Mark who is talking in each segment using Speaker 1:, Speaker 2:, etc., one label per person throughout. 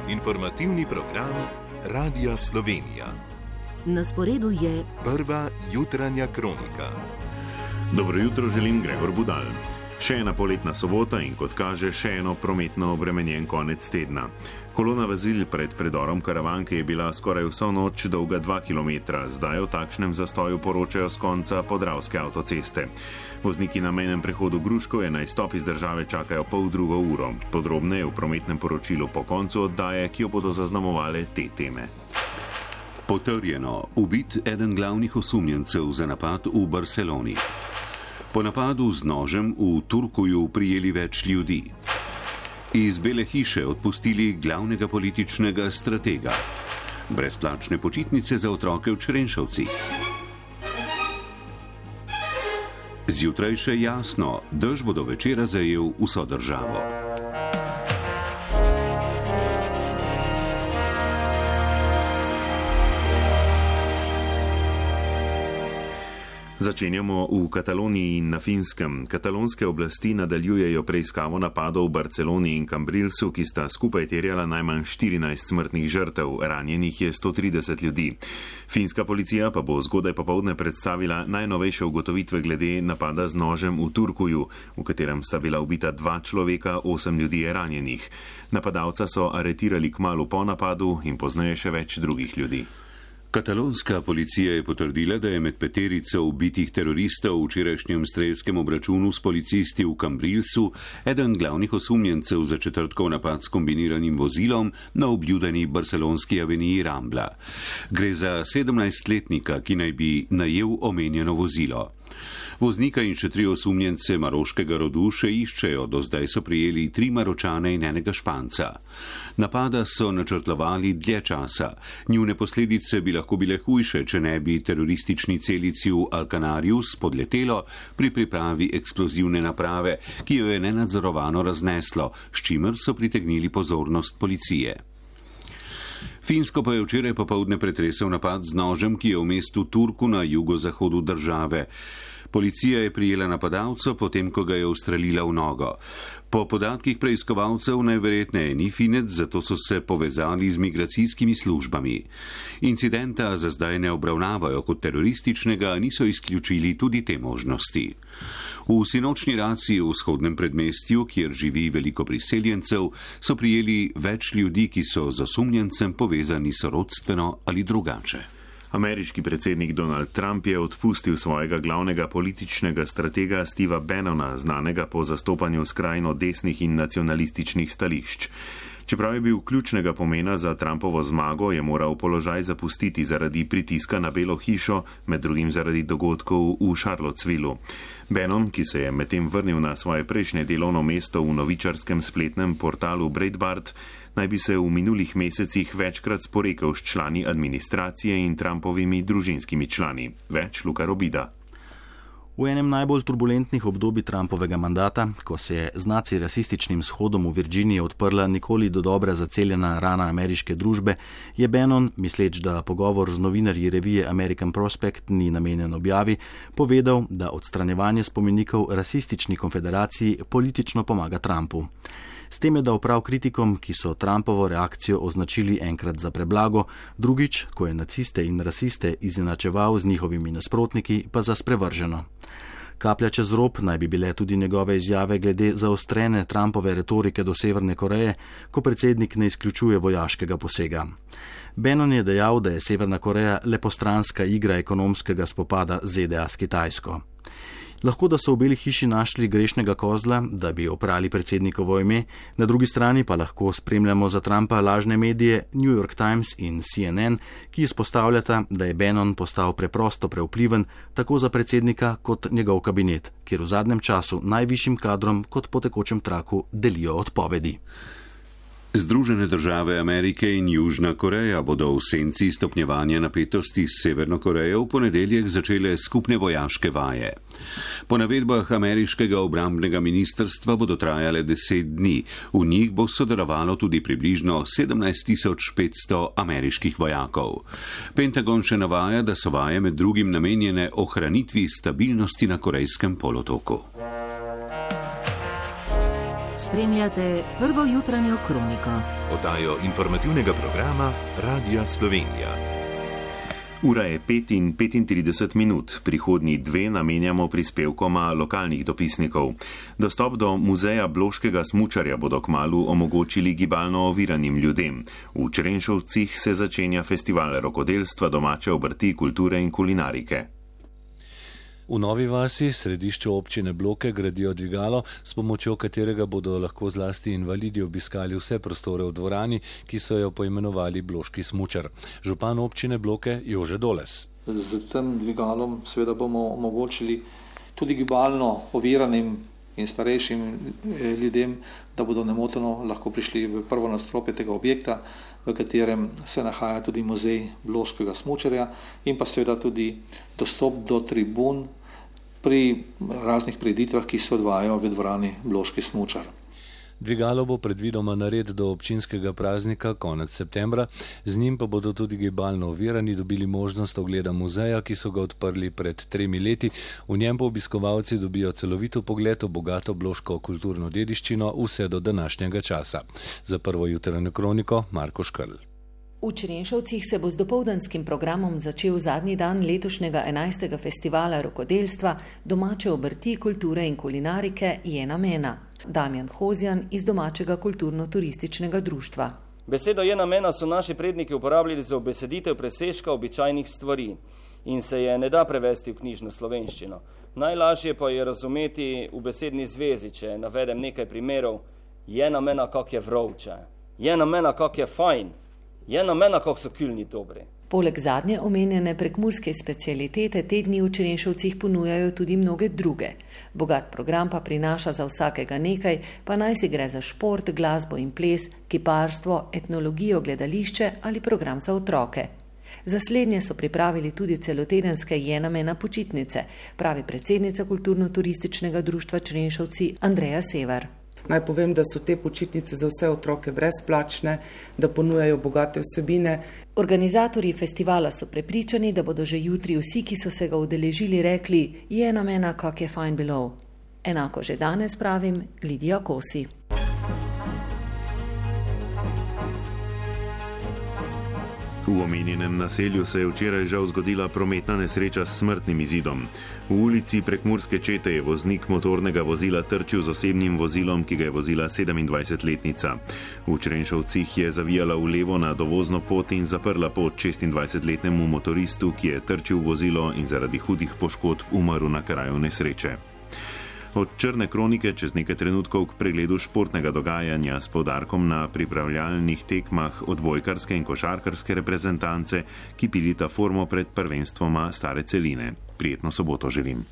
Speaker 1: Informativni program Radia Slovenija.
Speaker 2: Na sporedu je
Speaker 1: prva jutranja kronika.
Speaker 3: Dobro jutro želim, Gregor Budal. Še ena poletna sobota in kot kaže, še eno prometno obremenjen konec tedna. Kolona vozil pred predorom Karavanke je bila skoraj vso noč dolga 2 km, zdaj o takšnem zastoju poročajo s konca Podravske avtoceste. Vozniki na mejnem prehodu Gruškovje na izstop iz države čakajo 1,5 ure. Podrobneje v prometnem poročilu po koncu oddaje, ki jo bodo zaznamovale te teme.
Speaker 4: Potrjeno, ubit eden glavnih osumljencev za napad v Barceloni. Po napadu z nožem v Turkuju prijeli več ljudi. Iz Bele hiše odpustili glavnega političnega stratega. Brezplačne počitnice za otroke v Črenšovcih. Zjutraj še jasno, dež bo do večera zajel vso državo.
Speaker 3: Začenjamo v Kataloniji in na Finskem. Katalonske oblasti nadaljujejo preiskavo napadov v Barceloni in Cambrilsu, ki sta skupaj terjala najmanj 14 smrtnih žrtev, ranjenih je 130 ljudi. Finska policija pa bo zgodaj popoldne predstavila najnovejše ugotovitve glede napada z nožem v Turkuju, v katerem sta bila ubita 2 človeka, 8 ljudi je ranjenih. Napadalca so aretirali kmalu po napadu in pozneje še več drugih ljudi.
Speaker 4: Katalonska policija je potrdila, da je med peterico ubitih teroristov v včerajšnjem strelskem obračunu s policisti v Cambrilsu eden glavnih osumljencev za četrtkov napad s kombiniranim vozilom na obljudeni barcelonski aveniji Rambla. Gre za 17-letnika, ki naj bi najel omenjeno vozilo. Voznika in še 3 osumljence maroškega rodu še iščejo, do zdaj so prijeli 3 Maročane in enega Španca. Napada so načrtovali dlje časa. Njune posledice bi lahko bile hujše, če ne bi teroristični celici v Alcanariu spodletelo pri pripravi eksplozivne naprave, ki jo je nenadzorovano razneslo, s čimer so pritegnili pozornost policije. Finsko pa je včeraj popoldne pretresel napad z nožem, ki je v mestu Turku na jugozahodu države. Policija je prijela napadalca, potem ko ga je ustrelila v nogo. Po podatkih preiskovalcev najverjetneje ni Finec, zato so se povezali z migracijskimi službami. Incidenta za zdaj ne obravnavajo kot terorističnega, niso izključili tudi te možnosti. V sinočni raciji v vzhodnem predmestju, kjer živi veliko priseljencev, so prijeli več ljudi, ki so z osumljencem povezani sorodstveno ali drugače.
Speaker 3: Ameriški predsednik Donald Trump je odpustil svojega glavnega političnega stratega Steva Bannona, znanega po zastopanju skrajno desnih in nacionalističnih stališč. Čeprav je bil ključnega pomena za Trumpovo zmago, je moral položaj zapustiti zaradi pritiska na Belo hišo, med drugim zaradi dogodkov v Charlottesvillu. Bannon, ki se je medtem vrnil na svoje prejšnje delovno mesto v novičarskem spletnem portalu Breitbart, naj bi se v minulih mesecih večkrat sporekel s člani administracije in Trumpovimi družinskimi člani. Več Luka Robida.
Speaker 5: V enem najbolj turbulentnih obdobij Trumpovega mandata, ko se je z naci-rasističnim shodom v Virginiji odprla nikoli do dobra zaceljena rana ameriške družbe, je Bannon, misleč, da pogovor z novinarji revije American Prospect ni namenjen objavi, povedal, da odstranjevanje spomenikov rasistični konfederaciji politično pomaga Trumpu. S tem je dal prav kritikom, ki so Trumpovo reakcijo označili enkrat za preblago, drugič, ko je naciste in rasiste izenačeval z njihovimi nasprotniki, pa za sprevrženo. Kaplja čez rob naj bi bile tudi njegove izjave glede zaostrene Trumpove retorike do Severne Koreje, ko predsednik ne izključuje vojaškega posega. Bannon je dejal, da je Severna Koreja le postranska igra ekonomskega spopada ZDA s Kitajsko. Lahko da so v Beli hiši našli grešnega kozla, da bi oprali predsednikovo ime, na drugi strani pa lahko spremljamo za Trumpa lažne medije New York Times in CNN, ki izpostavljata, da je Bannon postal preprosto prevpliven tako za predsednika kot njegov kabinet, kjer v zadnjem času najvišjim kadrom kot po tekočem traku delijo odpovedi.
Speaker 4: Združene države Amerike in Južna Koreja bodo v senci stopnjevanja napetosti s Severno Korejo v ponedeljek začele skupne vojaške vaje. Po navedbah ameriškega obrambnega ministrstva bodo trajale 10 dni. V njih bo sodelovalo tudi približno 17.500 ameriških vojakov. Pentagon še navaja, da so vaje med drugim namenjene ohranitvi stabilnosti na Korejskem polotoku.
Speaker 2: Spremljate prvo jutranjo kroniko.
Speaker 1: Oddajo informativnega programa Radia Slovenija.
Speaker 3: Ura je 5:35, prihodnji 2 namenjamo prispevkoma lokalnih dopisnikov. Dostop do muzeja bloškega smučarja bodo kmalu omogočili gibalno oviranim ljudem. V Črenšovcih se začenja festival rokodelstva, domače obrti, kulture in kulinarike.
Speaker 6: V Novi vasi, središču občine Bloke, gradijo dvigalo, s pomočjo katerega bodo lahko zlasti invalidi obiskali vse prostore v dvorani, ki so jo poimenovali Bloški smučar. Župan občine Bloke Jože Doles.
Speaker 7: Z tem dvigalom seveda bomo omogočili tudi gibalno oviranim in starejšim ljudem, da bodo nemoteno lahko prišli v prvo nadstropje tega objekta, v katerem se nahaja tudi muzej bloškega smučarja in pa seveda tudi dostop do tribun pri raznih prireditvah, ki se odvajajo v dvorani Bloški smučar.
Speaker 6: Dvigalo bo predvidoma nared do občinskega praznika konec septembra, z njim pa bodo tudi gibalno ovirani dobili možnost ogleda muzeja, ki so ga odprli pred 3 leti. V njem pa obiskovalci dobijo celovito pogled v bogato bloško kulturno dediščino vse do današnjega časa. Za prvo jutranjo kroniko Marko Škrl.
Speaker 8: V Črenšovcih se bo z dopoldanskim programom začel zadnji dan letošnjega 11. festivala rokodelstva, domače obrti, kulture in kulinarike Je namena. Damjan Hozjan iz domačega kulturno-turističnega društva.
Speaker 9: Besedo Je namena so naši predniki uporabljali za obeseditev presežka običajnih stvari in se je ne da prevesti v knjižno slovenščino. Najlažje pa je razumeti v besedni zvezi, če navedem nekaj primerov. Je namena, kak je vrovče. Je namena, kak je fajn. Je namena, kak so kylni dobri.
Speaker 8: Poleg zadnje omenjene prekmurske specialitete te dni v Črenšovcih ponujajo tudi mnoge druge. Bogat program pa prinaša za vsakega nekaj, pa naj si gre za šport, glasbo in ples, kiparstvo, etnologijo, gledališče ali program za otroke. Za slednje so pripravili tudi celotedenske Je namena počitnice, pravi predsednica kulturno-turističnega društva Črenšovci Andreja Sever.
Speaker 10: Naj povem, da so te počitnice za vse otroke brezplačne, da ponujajo bogate vsebine.
Speaker 8: Organizatorji festivala so prepričani, da bodo že jutri vsi, ki so se ga udeležili, rekli Je namena, kak je fajn bilo. Enako že danes pravim Lidija Kosi.
Speaker 3: V omenjenem naselju se je včeraj žal zgodila prometna nesreča s smrtnim izidom. V ulici Prekmurske čete je voznik motornega vozila trčil z osebnim vozilom, ki ga je vozila 27-letnica. V Črenšovcih je zavijala v levo na dovozno pot in zaprla pot 26-letnemu motoristu, ki je trčil vozilo in zaradi hudih poškodb umrl na kraju nesreče. Od črne kronike čez nekaj trenutkov k pregledu športnega dogajanja s poudarkom na pripravljalnih tekmah odbojkarske in košarkarske reprezentance, ki pilita formo pred prvenstvoma Stare celine. Prijetno soboto želim.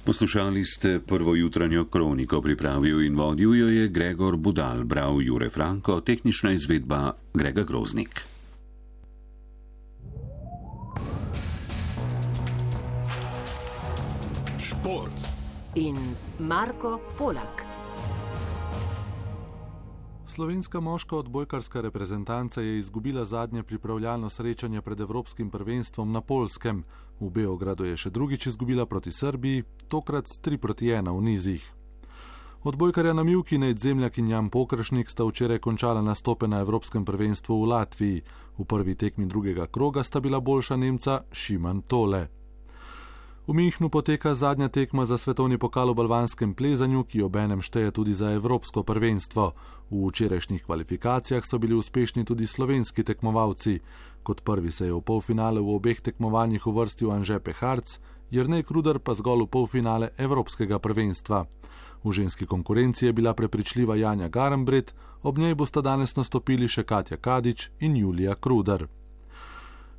Speaker 4: Poslušali ste prvo jutranjo kroniko, pripravil in vodil jo je Gregor Budal, bral Jure Franko, tehnična izvedba Grega Groznik.
Speaker 1: Šport.
Speaker 2: In Marko Polak.
Speaker 11: Slovenska moška odbojkarska reprezentanca je izgubila zadnje pripravljalno srečanje pred evropskim prvenstvom na Poljskem. V Beogradu je še drugič izgubila proti Srbiji, tokrat s 3-1 v nizih. Odbojkarja na mivki Nedzemljak in Jan Pokršnik sta včeraj končala nastope na evropskem prvenstvu v Latviji. V prvi tekmi drugega kroga sta bila boljša Nemca Šiman Tole. V Minhnu poteka zadnja tekma za svetovni pokal v balvanskem plezanju, ki obenem šteje tudi za evropsko prvenstvo. V včerajšnjih kvalifikacijah so bili uspešni tudi slovenski tekmovalci. Kot prvi se je v polfinale v obeh tekmovanjih uvrstil Anže Peharc, Jernej Kruder pa zgolj v polfinale evropskega prvenstva. V ženski konkurenci je bila prepričljiva Janja Garambret, ob njej bosta danes nastopili še Katja Kadič in Julija Kruder.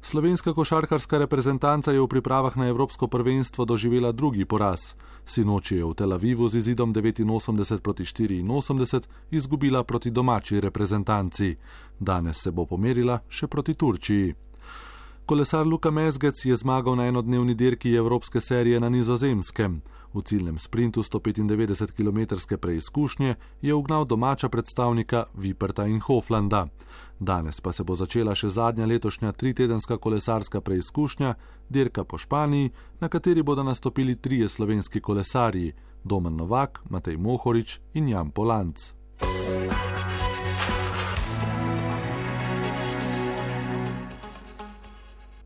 Speaker 11: Slovenska košarkarska reprezentanca je v pripravah na evropsko prvenstvo doživela drugi poraz. Sinoči je v Tel Avivu z izidom 89-84 izgubila proti domači reprezentanci. Danes se bo pomerila še proti Turčiji. Kolesar Luka Mezgec je zmagal na enodnevni dirki evropske serije na Nizozemskem. V ciljnem sprintu 195-kilometrske preizkušnje je ugnal domača predstavnika Viperta in Hoflanda. Danes pa se bo začela še zadnja letošnja 3-tedenska kolesarska preizkušnja, dirka po Španiji, na kateri bodo nastopili 3 slovenski kolesarji, Domen Novak, Matej Mohorič in Jan Polanc.